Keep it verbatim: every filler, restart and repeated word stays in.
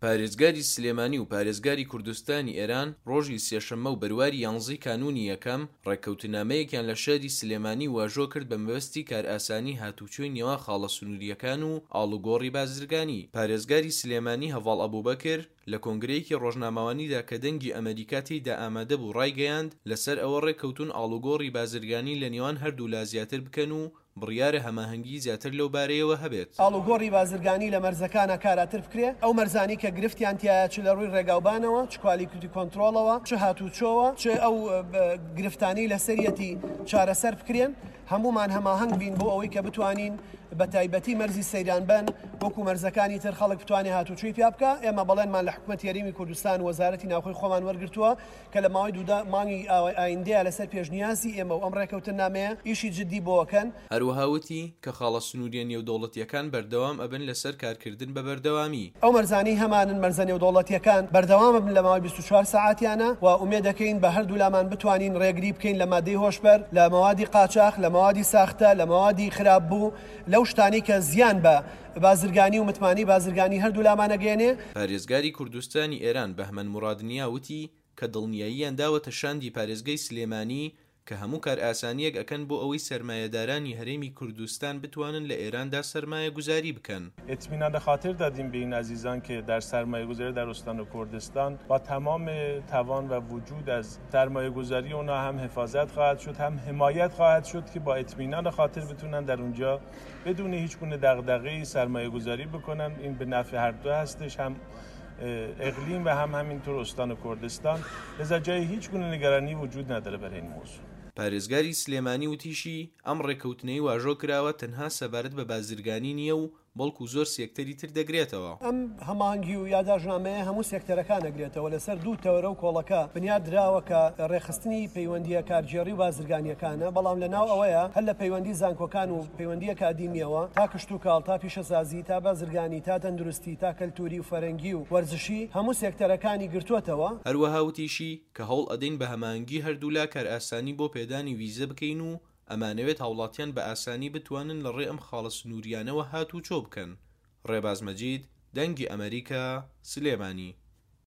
پارێزگاری سلێمانی و پارێزگاری کوردستانی ئێران ڕۆژی سێشەممە و بەرواری یانزەی کانوونی یەکەم ڕێککەوتنامەیەکیان لە شاری سلێمانی واژۆ کرد بە مەبەستی کارئاسانی هاتوچۆی نێوان خاڵە سنووریەکان و ئاڵوگۆڕی بازرگانی. پارێزگاری سلێمانی هەڤاڵ ئەبوبەکر لە کۆنگرەیەکی ڕۆژنامەوانیدا کە دەنگی ئەمەریکا تێیدا ئامادە بوو ڕایگەیاند لەسەر ئەوە ڕێککەوتون ئاڵوگۆڕی بازرگانی لە نێوان هەردوولا زیاتر بکەن و بڕیارە هەماهەنگی زیاتر لەو بارەیەوە هەبێت. ئاڵوگۆڕی بازرگانی لە مەرزەکانە کاراتر بکرێ، ئەو مەرزانی کە گرفتیان تایە چ لە ڕووی ڕێگاوبانەوە، چ quality control ەوە، چ هاتوچۆوە، چ ئەو گرفتانی لەسەریەتی چارەسەر بکرێن، هەمومان هەماهەنگ بین بۆ ئەوەی کە بتوانین بە تایبەتی مەرزی سەیرانبەن وەکو مەرزەکانی تر خەڵک بتوانێت هاتوچۆی پیا بکە. ئێمە بەڵێنمان لە حکوومەتی هەرێمی کوردستان و وەزارەتی ناوخۆی خۆمان وەرگرتووە کە لە ماوەی دوودا مانگی ئایندەیە لەسەر پێشنیازی ئێمە و ئەم ڕێکەوتنامەیە ئیشی جدی بۆکەن. هەروەها وتی کە خاڵە سنووریە نێودەوڵەتیەکان بەردەوام ئەبن لەسەر کارکردن بە بەردەوامی. ئەو مەرزانەی هەمانن مەرزە نێودەوڵەتیەکان بەردەوام بن لە ماوەی بیست و چوار سەعاتیانە و ئومێد دەکەین بە هەردوو لامان بتوانین ڕێگری بکەین لە مادەی هۆشبەر، لە مەوادی قاچاخ، لە مەوادی ساختە، لە مەوادی خراپ بوو، لەو شتانی کە زیان بە بازرگانی و متمانی بازرگانی هەردوو لامانەگەێنێ. پارێزگاری کوردستانی ئێران بەهمەن مورادنیا وتی کە دڵنیاییان داوەتە شاندی پارێزگای سلێمانی کە هەموو کارئاسانیەک ئەکەن بۆ ئەوەی سەرمایەدارانی هەرێمی کوردستان بتوانن لە ئێراندا سەرمایەگوزاری بکەن. اطمینان خاطر دادیم به این عزیزان که در سرمایه‌گذاری در استان کردستان با تمام توان و وجود از سرمایه‌گذاری اونا هم حفاظت خواهد شد، هم حمایت خواهد شد که با اطمینان خاطر بتونن در اونجا بدون هیچ گونه دغدغه‌ای سرمایه‌گذاری بکنن. این به نفع هر دو هستش، هم اقلیم و هم همینطور استان کردستان. لذا جای هیچ گونه نگرانی وجود نداره برای این موضوع. پارێزگاری سلێمانی وتیشی ئەم ڕێککەوتنەی واژۆ کراوە تەنها سەبارەت بە بازرگانی نییە و بەڵکو زۆر سێکتەری تر دەگرێتەوە. ئەم هەماهەنگی و یاداشتنامەیە هەموو سێکتەرەکان دەگرێتەوە لەسەر دوو تەوەرە و کۆڵەکە بنیاد دراوە کە ڕێکخستنی پەیوەندیە کارگێڕی و بازرگانیەکانە، بەڵام لە ناو ئەوەیە هەر لە پەیوەندی زانکۆکان و پەیوەندی ئەکادیمیەوە تا کشتوکاڵ، تا پیشەسازی، تا بازرگانی، تا تەندروستی، تا کەلتوری و فەرەنگی و وەرزشی هەموو سێکتەرەکانی گرتووەتەوە. هەروەها وتیشی کە هەوڵ ئەدەین بە هەماهەنگی هەردوولا کارئاسانی بۆ پێدانی ویزە بکەین و ئەمانەوێت هاوڵاتیان بە ئاسانی بتوانن لە ڕێ ئەم خاڵە سنووریانەوە هاتوچۆ بکەن. ڕێباز مەجید، دەنگی ئەمریکا، سلێمانی.